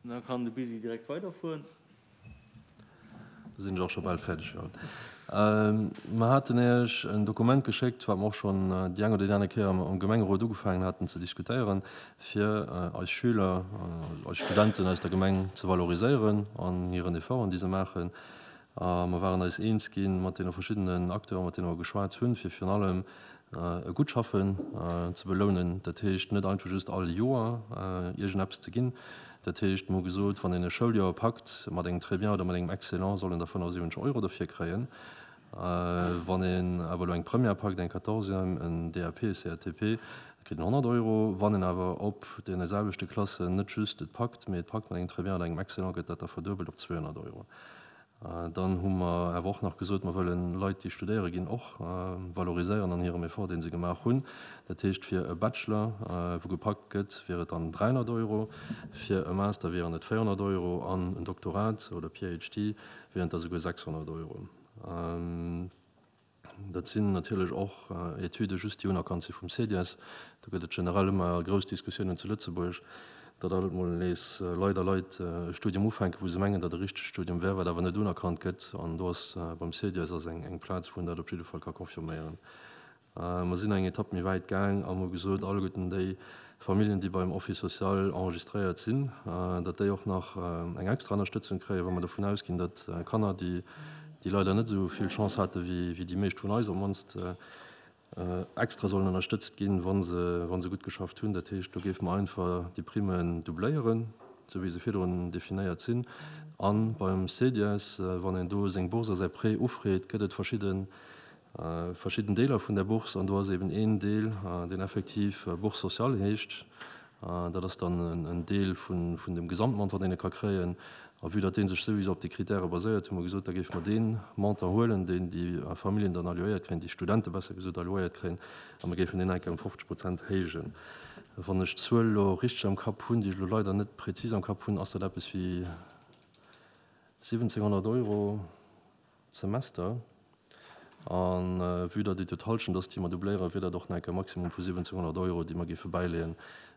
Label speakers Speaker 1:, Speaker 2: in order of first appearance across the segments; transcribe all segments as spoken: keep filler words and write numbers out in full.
Speaker 1: Da kann de Bisi direkt weiderfueren.
Speaker 2: Da sinn ech och scho bal fäerdeg fir haut. Mer haten Iech en Dokument geschéckt, wat mer och schonn déi eng oder déi aner Kéier am Gemengerot ugefaangen haten ze diskutéieren, fir eis Schüler, eis Studenten aus der Gemeng ze valoriséieren an hiren Efforten, déi se maachen. A mer waren eis eens gi mat deene verschiddenen Acteuren, mat deene mer geschwat hunn, fir virun allem e gutt Schaffen ze belounen. Dat heescht net einfach just all Joer iergendeppes ze ginn. Dat heescht, mer hu gesot, wann een e Schouljoer packt mat engem Très bien oder mat engem Excellent, soll en da fënnefasiwwenzeg Euro derfir kréien. Wann een awer elo eng Première packt, eng Quatorzième, en D A P, e C A T P, da kritt en honnert Euro. Wann een awer op deene selwechte Klassen net just et packt, mee et packt mat engem Très bien oder engem Excellent, gëtt dat da verduebelt op zweehonnert Euro. Dann hu mer awer och nach gesot, mer wëllen Leit, déi studéiere ginn, och valoriséieren an hirem Effort, dee se gemaach hunn. Dat heescht, fir e Bachelor, wou gepackt gëtt, wier et dann dräihonnert Euro, fir e Master wieren et véierhonnert Euro an en Doktorat oder P H D wieren et da souguer sechshonnert Euro. Dat sinn natierlech och Etüde just, déi unerkannt si vum C D I E S. Do gëtt et generell ëmmer grouss Diskussiounen zu Lëtzebuerg, datt alt mol nees leider Leit e Studium ufänken, wou se mengen, datt e richtegt Studium wär, wat awer net unerkannt gëtt. An do ass beim C D I E S ass eng eng Plaz, wou een dat op jidde Fall ka confirméieren. Mer sinn eng Etapp méi wäit gaang a hu gesot, alleguerten déi Familljen, déi beim Office social enregistréiert sinn, datt déi och nach eng extra Ënnerstëtzung kréien, wa mer dovun ausginn, datt Kanner, déi déi leider net esou vill Chance hate wéi wéi déi meescht vun eis, op d'mannst extra sollen ënnerstëtzt ginn, wa se wa se gutt geschafft hunn. Dat heescht, do géife mer einfach déi Primmen doubléieren, esou wéi se virdrun definéiert sinn. A beim C D I E S, wann een do seng Bourse a säi Prêt ufreet, gëtt et verschidden verschidden Deeler vun der Bourse an do ass eben een Deel, deen effektiv Bourse sociale heescht. Dat ass dann en Deel vun vun dem Gesamtmontant, deen ee ka kréien. A vue datt dee sech souwisou op déi Kritäre baséiert, hu mer gesot, da géife mer dee Montant huelen, deen déi Familljen dann allouéiert kréien, déi Studente besser gesot allouéiert kréien, a mer géifen deen enk ëm fofzeg Prozent héijen. Wann ech d'Zuel elo richteg am Kapp hunn, déi ech elo leider net prezis am Kapp hunn, ass dat eppes wéi siwwenzénghonnert Euro d'Semester. A vue datt et jo d'Hallschent ass, déi mer doubléieren, wier dat och nach enk e Maximum vu siwwenzénghonnert Euro, déi mer géife bäileeën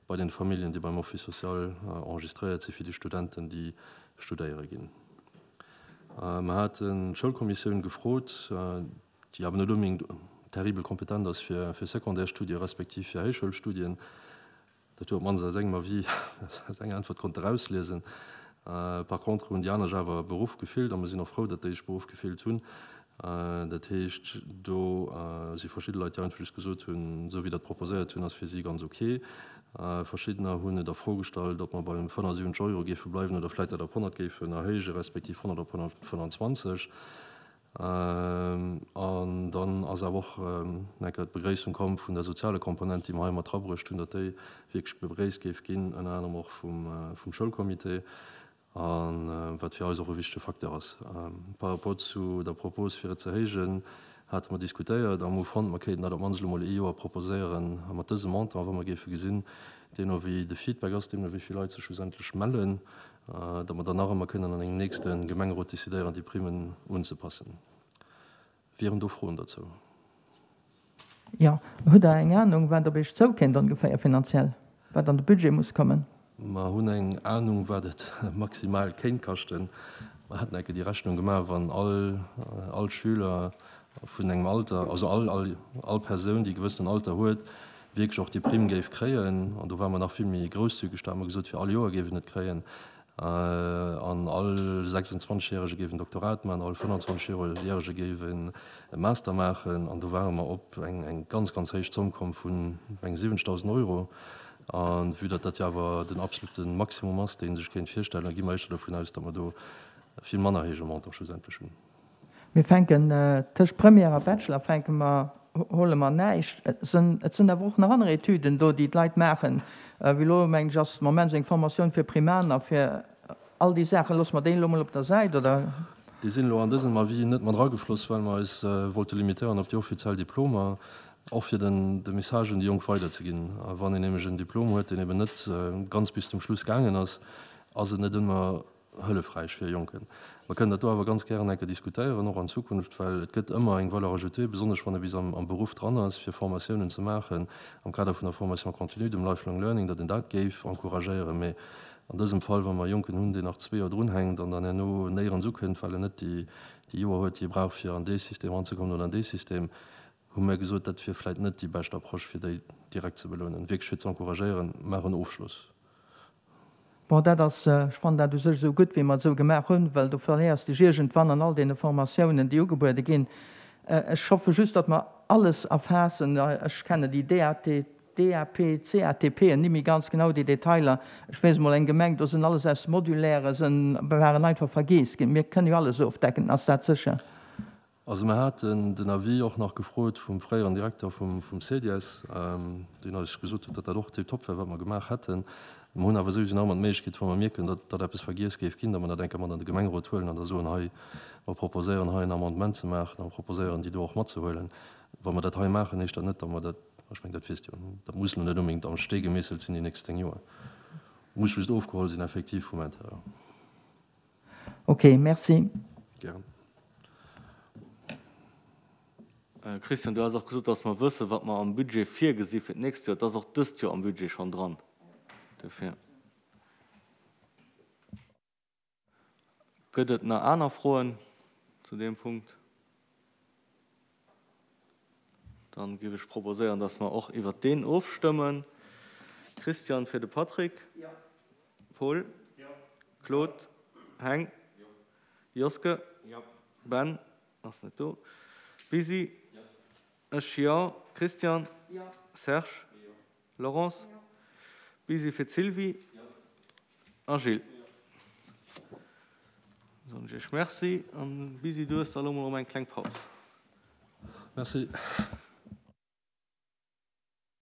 Speaker 2: bei den Familljen, déi beim Office social enregistréiert si fir déi Studenten, déi studéiere ginn. Mer haten d'Schoulkommissioun gefrot, déi awer net onbedéngt terribel kompetent ass fir fir Secondaire-Studie respektiv fir Héichschoulstudien. Dat huet op d'mannst aus engem Avis, aus enger Äntwert konnte erausliesen. Par contre hunn déi aner sech awer beruff gefillt a mer sinn och frou, datt déi sech beruff gefillt hunn. Dat heescht, do si verschidde Leit, déi einfach just gesot hunn, esou wéi dat proposéiert hunn, ass fir si ganz ok. Verschiddener hunn et a Fro gestallt, ob mer beim fënnefasiwwenzeg Euro géife bleiwen oder vläicht dat op honnert géifen erhéijen, respektiv honnert op honnertfënnfanzwanzeg. An dann ass awer och eng Kéier d'Begréissung komm vun der soziale Komponent, déi mer hei mat erabruecht hunn, datt déi wierklech begréisst géif ginn, ënner anerem och vum, vum Schoulcomité, a wat fir eis och e wichtege Facteur ass. Par rapport zu der Propos, fir et ze héijen, hate mer diskutéiert a mer hu fonnt, mer kéinten dat op d'mannst elo mol ee Joer proposéieren mat dësem Montant, wa mer géife gesinn, deemno wéi de Feedback ass, deemno wéi vill Leit sech schlussendlech mellen, datt mer dann nach ëmmer kënnen an engem nächste Gemengerot decidéieren, déi Primmen unzepassen. Wieren do Froen dozou?
Speaker 3: Jo, hutt Der eng Anung, wat op Iech zoukéint ongeféier finanziell, wat an de Budget muss kommen?
Speaker 2: Mer hunn eng Anung, wat et maximal kéint kaschten. Mer haten eng Kéier déi Rechnung gemaach, wann all all Schüler vun engem Alter, also all all all Persoun, déi e gewëssenen Alter huet, wierklech och déi Primm géif kréien, an do ware mer nach vill méi grousszügeg, do hate mer gesot, fir all Joer géif en et kréien, an all sechsundzwanzeg-Järege géif en Doktorat maachen, all fënnfanzwanzeg-Järege géif en Master maachen, an do ware mer op eng eng ganz, ganz héich Zomm komm vun eng siwwenzegdausend Euro. A vue datt dat jo awer den absolute Maximum ass, dee sech kéint virstellen, da gi mer éischter dovun aus, datt mer do vill manner héije Montant schlussendlech hunn.
Speaker 3: Mir fänken tëscht Première a Bachelor fänke mer, huele mer näischt. Et sinn, et sinn awer och nach aner Etüden do, déi d'Leit maachen. Wéi elo, mengen ech, ass de Moment esou eng Formatioun fir Primaner, fir all déi Saachen. Loosse mer déi elo mol op der Säit, oder?
Speaker 2: Déi sinn elo an dësem Avis net mat eragefloss, well mer eis wollte limitéieren op déi offiziell Diplomer, och fir den de Message un déi Jonk weiderzeginn. A wann een nämlech en Diplom huet, deen eben net ganz bis zum Schluss gaangen ass, ass et net ëmmer hëllefräich fir e Jonken. Mer kënnen dat do awer ganz gären eng Kéier diskutéieren, och an Zukunft, well et gëtt ëmmer eng Valeur ajoutée, besonnesch wann e bis am am Beruff dran ass, fir Formatiounen ze maachen am Kader vun der Formation continue, dem Lifelong Learning, datt een dat géif encouragéieren. Mee An dësem Fall, wa mer e Jonken hunn, deen nach zwee Joer drunhänkt an dann herno néierens ukënnt, well en net déi Joer huet, déi e brauch, fir an dee System eranzekommen oder an dee System, hu mir gesot, dat wier vläicht net déi bescht Approche, fir déi direkt ze belounen, wierklech fir ze encouragéieren, maach en Ofschloss.
Speaker 3: Bon, dat ass, ech fannen dat u sech esou gutt, wéi mer et esou gemaach hunn, well do verléiers dech iergendwann an all deene Formatiounen, déi ugebuede ginn. Ech hoffe just, datt mer alles erfaassen. Ech kennen déi DAT, DAP, CATPen ni méi ganz genau, déi Detailer. Ech weess emol eng Gemeng, do sinn alles aus Modulaire sinn, waren einfach vergeess ginn. Mir kënnen jo alles ofdecken, ass dat sécher?
Speaker 2: Also mer haten den Avis och nach gefrot vum fréieren Direkter vum CEDIES, deen eis gesot huet, datt dat och tiptop wär, wat mer gemaach hätten. Mer hunn awer souwisou nach ëmmer d'Méiglechkeet, wa mer mierken, datt datt eppes vergiess géif ginn, datt mer dat eng Kéier mat an de Gemengerot huelen an da soen, hei, mer proposéieren hei en Amendement ze maachen a mer proposéieren déi do och matzehuelen. Wa mer dat hei maachen, heescht dat net, datt mer dat, ech mengen, dat weess Dir jo, dat muss elo net onbedéngt am Stee gemeesselt sinn déi nächst zéng Joer. Muss just ofgeholl sinn effektiv vum Intérieur.
Speaker 3: Ok, merci.
Speaker 2: Gären.
Speaker 1: Christian, du has och gesot, dass mer wëssen, wat mer am Budget virgesi fir d'nächst Joer. Et ass och dëst Joer am Budget schonn dran. Dofir. Gëtt et nach aner Froen zu deem Punkt? Dann géif ech proposéieren, dass mer och iwwert deen ofstëmmen. Christian fir de Patrick. Paul. Claude. Heng. Joske. Ben ass net do. Busy. Ech jo. Christian. Serge. Laurence. Busy fir d'Sylvie. A Gilles. Soen ech Iech Merci. An Busy, du hues da elo mol erëm eng kleng Paus.
Speaker 2: Merci.